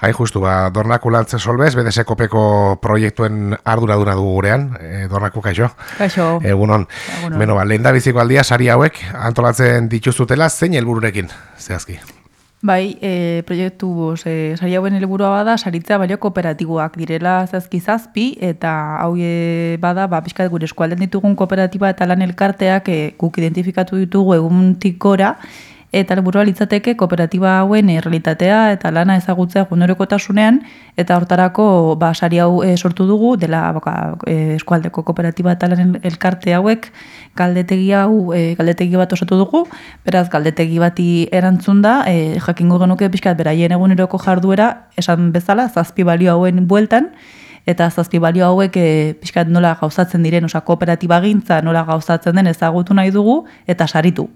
Hain justu, Dornaku Lantze Solbez, BDS-kopeko proiektuen arduraduna dugu gurean, Dornaku, kaixo? Kaixo. Egunon. Egunon. Beno, lehen da biziko aldia, sari hauek antolatzen dituzutela, zein helbururekin, zehazki? Bai, proiektu sari hauen helburua bada, saritza balio kooperatiboak direla zazpi, eta hau bada, pixkat gure eskualden ditugun kooperatiba eta lan elkarteak guk identifikatu ditugu eguntik gora, eta helburua litzateke kooperatiba hauen realitatea eta lana ezagutzea egunerokotasunean, eta hortarako sari hau sortu dugu, dela eskualdeko kooperatiba eta lan elkarte hauek galdetegi bat osatu dugu, beraz galdetegi bati erantzun da, jakingo genuke pixkat beraien eguneroko jarduera, esan bezala, 7 balio hauen bueltan, eta 7 balio hauek pixkat nola gauzatzen diren, kooperatiba gintza nola gauzatzen den ezagutu nahi dugu, eta saritu.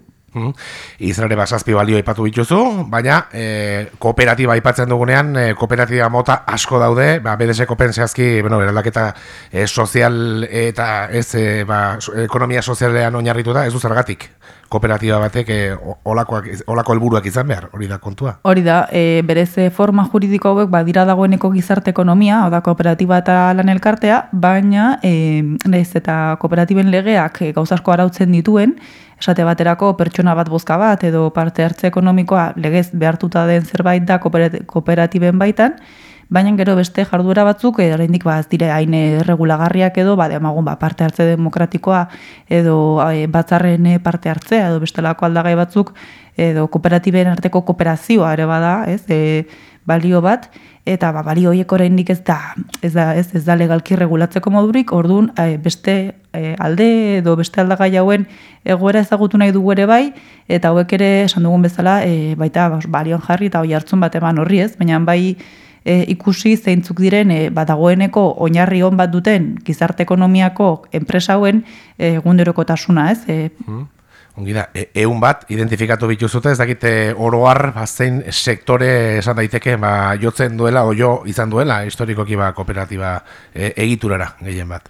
Izan ere 7 balio aipatu dituzu, baina kooperatiba aipatzen dugunean, kooperatiba mota asko daude, BDS-kopen zehazki, eraldaketa sozial eta ez ekonomia sozialean oinarritu da, ez du zergatik kooperatiba batek olako helburuak izan behar, hori da kontua? Hori da, berez forma juridiko hauek badira dagoeneko gizarte ekonomia, oda kooperatiba eta lan elkartea, baina nahiz eta kooperatiben legeak gauzasko arautzen dituen, esate baterako pertsona bat bozka bat edo parte hartze ekonomikoa legez behartuta den zerbait da kooperatiben baitan, baina gero beste jarduera batzuk oraindik ez dire hain erregulagarriak edo demagun parte hartze demokratikoa edo batzarren parte hartzea edo bestelako aldagai batzuk edo kooperatiben arteko kooperazioa ere bada, balio bat, eta balio horiek oraindik ez da legalki regulatzeko modurik, orduan beste alde edo beste aldagai hauen egoera ezagutu nahi dugu ere bai, eta hauek ere esan dugun bezala baita balioan jarri eta hoi hartzun bat eman horri ez, baina bai ikusi zeintzuk diren dagoeneko oinarri on bat duten gizarte ekonomiako enpresa hauen egunerokotasuna ez. Ongi da, egun bat identifikatu bituzute, ez dakite oroar zein sektore esan daiteke jotzen duela o jo izan duela historikoki kooperatiba egiturara gehien bat.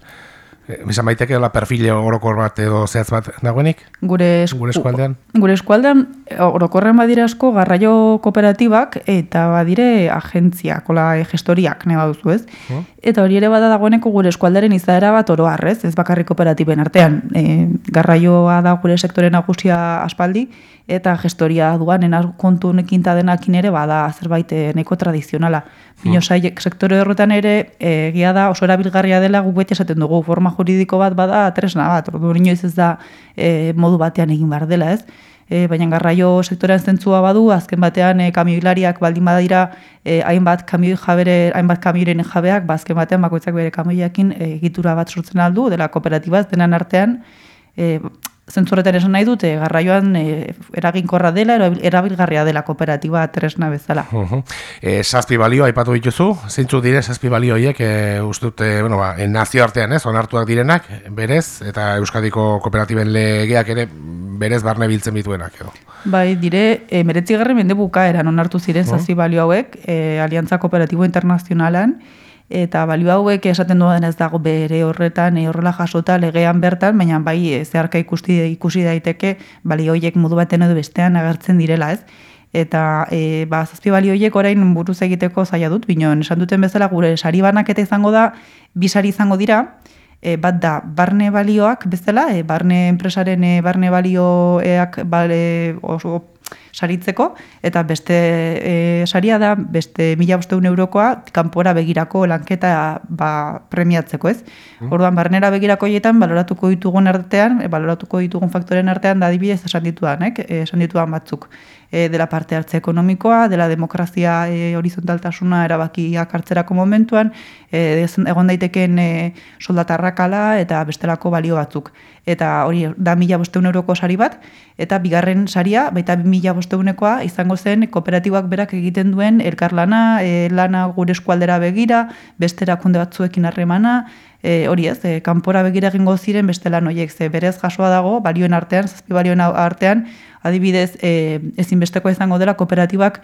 Esan baiteke perfil orokor bat edo zehatz bat dagoenik? Gure eskualdean? Gure eskualdean orokorren badira asko garraio kooperatibak eta badire agentziak, gestoriak nahi baduzu ez. Eta hori ere bada dagoeneko gure eskualdaren izaera bat oroar ez bakarrik kooperatiben artean. Garraioa da gure sektore nagusia aspaldi, eta gestoria duanen kontu honekin ta denakin ere bada zerbait nahiko tradizionala. Bino sektore horretan ere egia da oso erabilgarria dela guk beti esaten dugu forma juridiko bat bada tresna bat, orduan inoiz ez da modu batean egin behar dela ez. Baina garraio sektorean zentzua badu, azken batean kamioilariak baldin badira hainbat kamioiren jabeak, azken batean bakoitzak bere kamioiakin egitura bat sortzen aldu, dela kooperatibaz denan artean, zentzurretan esan nahi dute, garraioan eraginkorra dela, erabilgarria dela kooperatiba tresna bezala. 7 balio aipatu dituzu, zeintzuk dire 7 balio horiek, uste dute, nazioartean onartuak direnak, berez, eta Euskadiko kooperatiben legeak ere berez barne biltzen bituenak edo. Bai, dire, 19. mende bukaeran onartu ziren 7 balio hauek, Aliantza Kooperatibo Internazionalan, eta balio hauek esaten dudan ez dago bere horretan horrela jasota legean bertan, baina bai zeharka ikusi daiteke balio horiek modu baten edo bestean agertzen direla ez. Eta 7 balio horiek orain buruz egiteko zaila dut, binon esan duten bezala gure sari banaketa izango da, 2 sari izango dira, bat da barne balioak bezala, barne enpresaren barne balioak oso saritzeko, eta beste saria da, beste 1.500 eurokoa, kanpora begirako lanketa premiatzeko, ez? Orduan, barnera begirako hietan, baloratuko ditugun faktoren artean, da adibidez esan ditudan batzuk. Dela parte hartze ekonomikoa, dela demokrazia horizontaltasuna erabakiak hartzerako momentuan, egon daiteken soldatarrakala eta bestelako balio batzuk. Eta hori da 1.500 euroko sari bat, eta bigarren saria, baita 2.500 izango zen kooperatibak berak egiten duen elkarlana, lana gure eskualdera begira, beste erakunde batzuekin harremana, hori ez, kanpora begira egingo ziren beste lan horiek, berez jasoa dago, balioen artean, 7 balioen artean, adibidez, ezinbesteko izango dela kooperatibak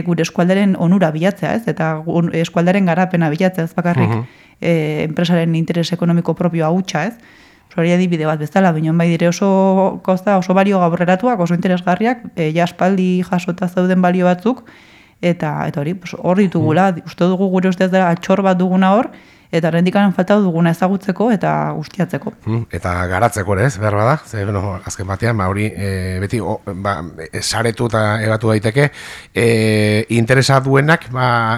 gure eskualdaren onura bilatzea, ez? Eta eskualdaren garapena bilatzea, ez bakarrik enpresaren interes ekonomiko propioa hutsa, ez? Hori adibide bat bezala, binon bai dire oso balio gaurreratuak, oso interesgarriak, jaspaldi jasota zauden balio batzuk, eta hori, hor ditugula, uste dugu gure ustez da atxor bat duguna hor, eta rendikanen falta duguna ezagutzeko eta ustiatzeko. Eta garatzeko ere, ez, behar bada, ze, azken batean, hori, beti, saretu eta ebatu daiteke, interesa duenak,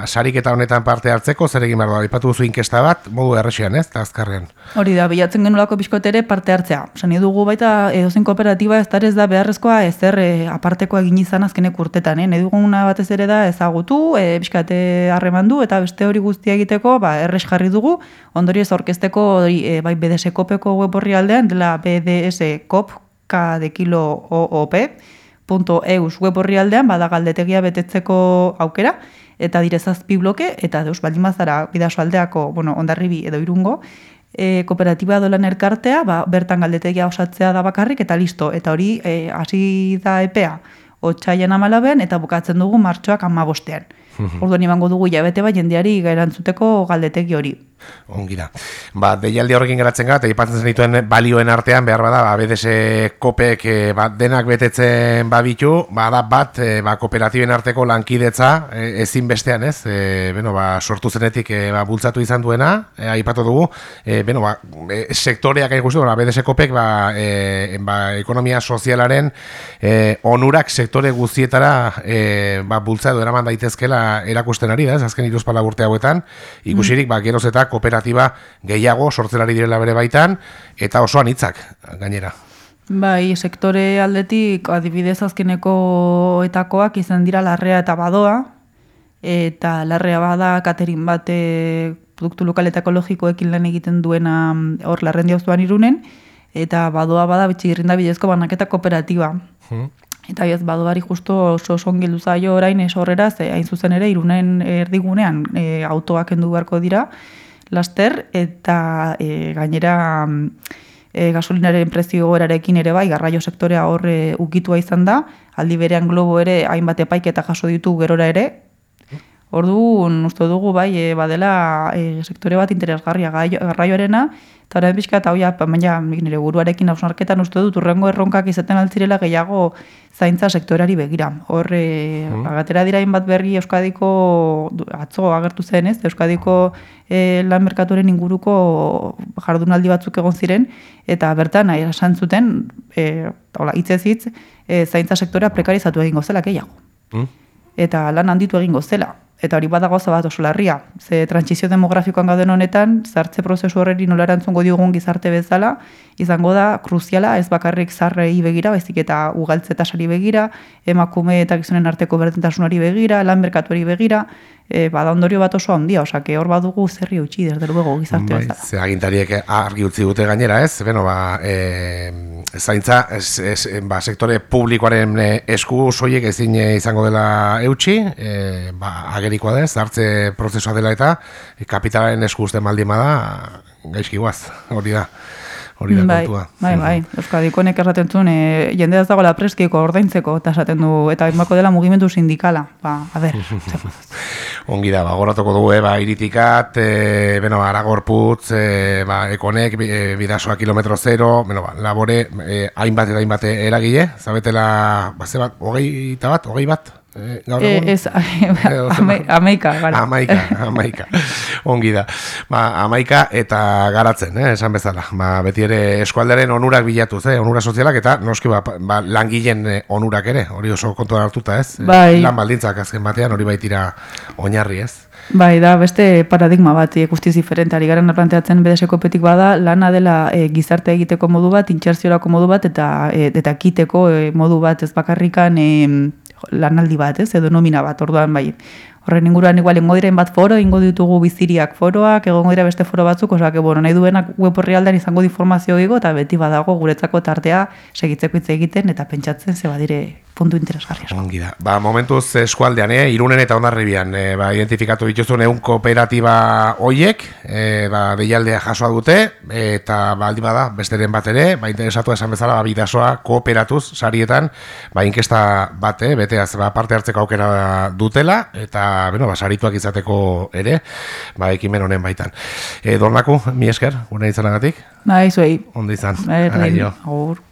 sariketa honetan parte hartzeko, zer egin behar da, ipatu duzu inkesta bat, modu errexian, ez, eta azkarrean. Hori da, bilatzen genulako pixkot ere parte hartzea. Sani dugu baita edozein kooperatiba ez da beharrezkoa ezer apartekoa egin izan azkenek urtetan. Nahi duguna batez ere da ezagutu, pixkate harremandu eta beste hori guztia egiteko erres jarri dugu. Ondorioz aurkezteko bai BDS Kopeko web orri aldean, dela bdskop.eus web orri aldean, bada galdetegia betetzeko aukera, eta dire 7 bloke, eta deus baldin bazara Bidasoaldeako, Hondarribi edo Irungo, kooperatiba dolan elkartea, bertan galdetegia osatzea da bakarrik, eta listo, eta hori hasi da epea, otsailean 14 eta bukatzen dugu martxoak 15. Orduan imango dugu jabete bat jendeari erantzuteko galdetegi hori. Ongi da. Deialdi horrekin geratzen gara, eta ipatzen zenituen balioen artean, behar bada, BDS Kopek denak betetzen babitu, da bat, kooperatiben arteko lankidetza ezinbestean, ez? Sortu zenetik bultzatu izan duena, aipatu dugu, sektoreak ikustu, BDS Kopek ekonomia sozialaren onurak sektore guztietara bultzatu eraman daitezkela erakusten ari da, ez? Azken 2 urte hauetan, ikusirik, geroz eta kooperatiba gehiago sortzen ari direla bere baitan, eta oso anitzak gainera. Bai, sektore aldetik adibidez azkeneko etakoak izan dira Larrea eta Badoa, eta Larrea bada katerin bat produktu lokal eta ekologikoekin lan egiten duena hor Larrendi auzoan Irunen, eta Badoa bada Bitxigirrinda bidezko banaketa kooperatiba. Eta Badoari justo oso ongi zaio orain horrera, hain zuzen ere Irunen erdigunean autoak kendu beharko dira, laster, eta gainera gasolinaren prezio gorarekin ere bai, garraio sektorea hor ukitua izan da, aldi berean Globo ere hainbat epaiketa jaso ditu gerora ere, orduan uste dugu bai, badela sektore bat interesgarria garraioarena, eta orain pixka eta baina nire buruarekin hausnarketan uste dut urrengo erronkak izaten altzirela gehiago zaintza sektoreari begira. Hor, agatera dira hainbat berri Euskadiko, atzo agertu zen ez, Euskadiko lan merkatuaren inguruko jardunaldi batzuk egon ziren, eta bertan esan zuten, hitzez hitz, zaintza sektorea prekarizatu egingo zela gehiago. Eta lan handitu egingo zela. Eta hori bada gauza bat oso larria. Ze trantsizio demografikoan gauden honetan, zartze prozesu horreri nola erantzungo diogun gizarte bezala, izango da kruziala, ez bakarrik zarrei begira, baizik eta ugaltze tasari begira, emakume eta gizonen arteko berdintasunari begira, lan merkatuari begira, bada ondorio bat oso handia, osake hor badugu zerri utzi, desde luego gizarte bezala. Ze agintariek argi utzi dute gainera, ez? Zaintza, sektore publikoaren esku soiek ezin izango dela eutxi, agerikoa da, zartze prozesua dela eta kapitalaren esku uste maldima da, gaizki guaz, hori da kontua. Bai, Euskadikonek esaten zuen, jende ez dagoela preskiko ordaintzeko, eta esaten du, eta inbako dela mugimendu sindikala. Ongi da, goratuko dugu, iritikat, Aragorputz, Ekonek, Bidasoa kilometro zero, labore, hainbat eta hainbat eragile, zabetela, hogei bat? Ez, amaika. Amaika. Ongi da. Amaika eta garatzen, esan bezala. Beti ere eskualdaren onurak bilatuz, onura sozialak eta noski langileen onurak ere, hori oso kontuan hartuta, ez? Lan baldintzak azken batean hori baitira oinarri, ez? Bai, da, beste paradigma bat, guztiz diferentari garen planteatzen BDS Kopetik bada, lana dela gizarte egiteko modu bat, intserziorako modu bat, eta kiteko modu bat, ez bakarrikan lanaldi bat, edo nomina bat, orduan bai. Horren inguruan igual ingo diren bat foro, ingo ditugu biziriak foroak, egongo dira beste foro batzuk, osea, nahi duenak web orri aldean izango informazio ego, eta beti badago guretzako tartea segitzeko hitz egiten, eta pentsatzen ze badire puntu interesgarri asko. Ongi da. Momentuz eskualdean, Irunen eta Hondarribian, identifikatu dituzun ehun kooperatiba hoiek, deialdea jasoa dute, eta aldi bada, besteren bat ere, interesatu esan bezala, Bidasoa kooperatuz, sarietan, inkesta bat, beteaz, parte hartzeko aukera dutela, eta, sarituak izateko ere, ekimen honen baitan. Dornaku, mi esker, gure izanagatik? Zuei. Ondo izan. Agur.